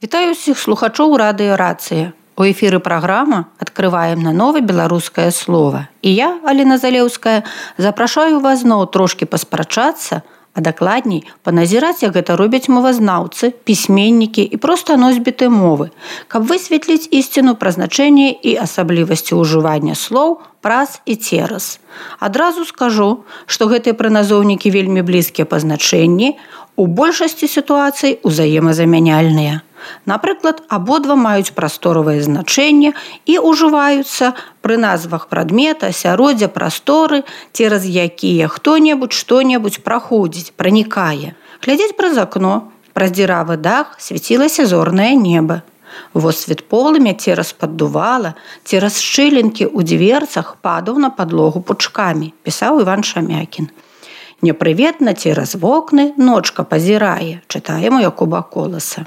Вітаю ўсіх слухачоў радыё «Рацыя». У эфіры праграма «Адкрываем наново беларускае слово». І я, Аліна Залеўская, запрашаю вас зноў трошкі паспрачацца, а дакладней паназіраць, як гэта робяць мовазнаўцы, пісьменнікі і проста носьбіты мовы, каб высветліць ісціну пра значэнне і асаблівасці ўжывання слоў праз і цераз. Адразу скажу, што гэтыя прыназоўнікі вельмі блізкія па значэнні, у большасці сітуацый узаемазамяняльныя. Напрыклад, абодва маюць прасторавае значэнне і ўжываюцца пры назвах прадмета, асяроддзя, прасторы, цераз якія хто-небудзь што-небудзь праходзіць, пранікае. Глядзець праз акно, праз дзіравы дах свяцілася зорнае неба. Водсвет полымя цераз паддувала, цераз шчылінкі ў дзверцах падаў на падлогу пучкамі, пісаў Іван Шамякін. Непрыветна цераз вокны ночка пазірае, чытаем у Якуба Коласа.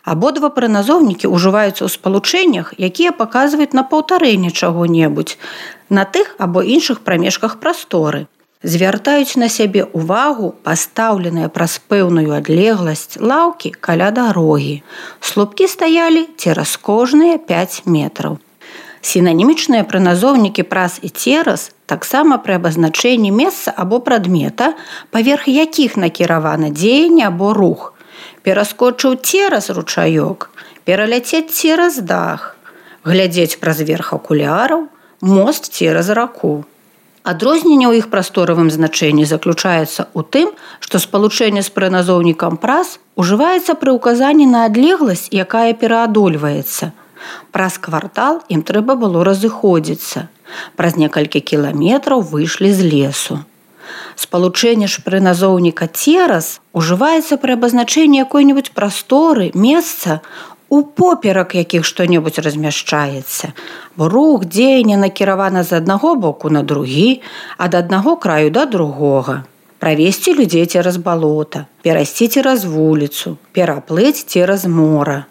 Абодва прыназоўнікі ўжываюцца ў спалучэннях, якія паказваюць на паўтарэнне чаго-небудзь на тых або іншых прамежках прасторы. Звяртаюць на сябе ўвагу пастаўленыя праз пэўную адлегласць лаўкі каля дарогі. Слупкі стаялі цераз кожныя 5 метраў. Сінанімічныя прыназоўнікі праз і цераз таксама пры абазначэнні месца або прадмета, паверх якіх накіравана дзеянне або рух. Пераскочыў цераз ручаёк, пераляцець цераз дах, глядзець праз верх акуляраў, мост цераз раку. Адрозненне ў іх прасторавым значэнні заключаецца ў тым, што спалучэнне з прыназоўнікам праз ужываецца пры ўказанні на адлегласць, якая пераадольваецца. Праз квартал ім трэба было разыходзіцца. Праз некалькі кіламетраў выйшлі з лесу. Спалучэнне ж прыназоўніка цераз ужываецца пры абазначэнні якой-небудзь прасторы, месца, упоперак якіх што-небудзь размяшчаецца. Бо рух, дзеянне накіравана з аднаго боку на другі, ад аднаго краю да другога. Правесці людзей цераз балота, перайсці цераз вуліцу, пераплыць цераз мора.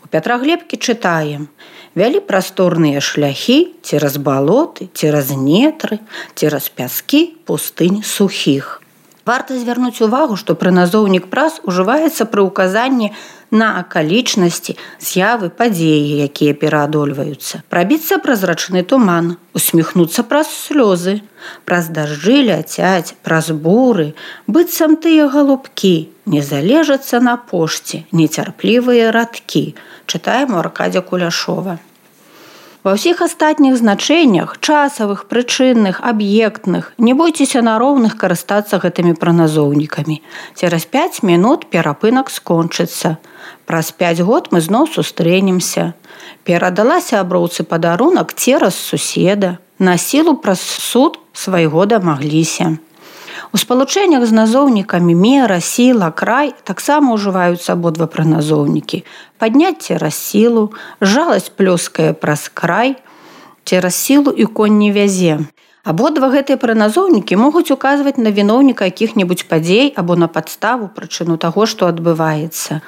У Пятраглебкі чытаем: вялі прасторныя шляхі цераз балоты, цераз нетры, цераз пяскі пустынь сухіх. Варта звярнуць увагу, што прыназоўнік праз ужываецца пры ўказанні на акалічнасці, з'явы, падзеі, якія пераадольваюцца. Прабіцца праз рачны туман, усміхнуцца праз слёзы, праз дажджы ляцяць, праз буры, быццам тыя галубкі, не залежацца на пошце, нецярплівыя радкі. Чытаем у Аркадзя Куляшова. Ва ўсіх астатніх значэннях, часавых, прычынных, аб'ектных, не бойцеся на роўных карыстацца гэтымі прыназоўнікамі. Цераз 5 минут перапынак скончыцца. Праз 5 год мы зноў сустрэнемся. Перадала сяброўцы падарунак цераз суседа. На сілу праз суд свайго дамагліся. У спалучэннях з назоўнікамі мера, сіла, край таксама ўжываюцца абодва прыназоўнікі. Падняць цераз сілу, жаласць плёскае праз край, цераз сілу і конь не вязе. Абодва гэтыя прыназоўнікі могуць указваць на віноўніка якіх-небудзь падзей або на падставу, прычыну таго, што адбываецца.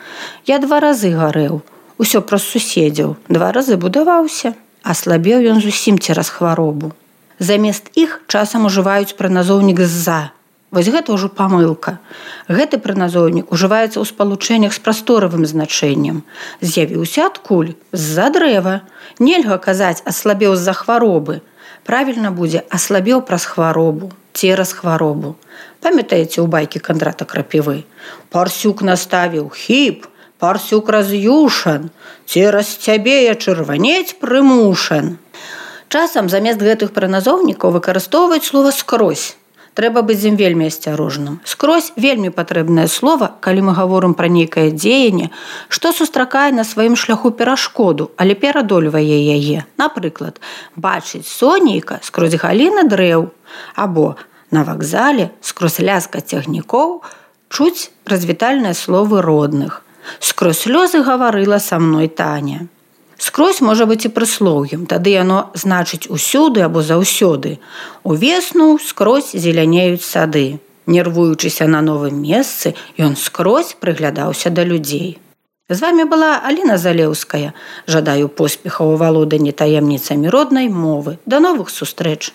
Я 2 разы гарэў, усё праз суседзяў, 2 разы будаваўся, а слабеў ён зусім цераз хваробу. Замест іх часам ужываюць прыназоўнік з-за. Вось гэта ўжо памылка. Гэты прыназоўнік ужываецца ў спалучэннях з прасторавым значэннем. З'явіўся адкуль? З-за дрэва. Нельга казаць «аслабеў з-за хваробы». Правільна будзе «аслабеў праз хваробу», «цераз хваробу». Памятаеце ў байкі Кандрата Крапівы? «Парсюк наставіў хіп, парсюк раз'юшан, цераз цябе я чырванець прымушан». Часам замест гэтых прыназоўнікаў выкарыстоўваюць слова «скрозь». Трэба быць з ім вельмі асцярожным. Скрозь вельмі патрэбнае слова, калі мы гаворым пра нейкае дзеянне, што сустракае на сваім шляху перашкоду, але пераадольвае яе. Напрыклад, бачыць сонейка скрозь галіны дрэў, або на вакзале скрозь ляскат цягнікоў чуць развітальныя словы родных. Скрозь слёзы гаварыла са мной Таня. Скрозь можа быць і прыслоўем, тады яно значыць усюды або заўсёды. Увесну скрозь зелянеюць сады. Нервуючыся на новым месцы, ён скрозь прыглядаўся да людзей. З вамі была Аліна Залеўская. Жадаю поспехаў у валоданні таемніцамі роднай мовы. Да новых сустрэч!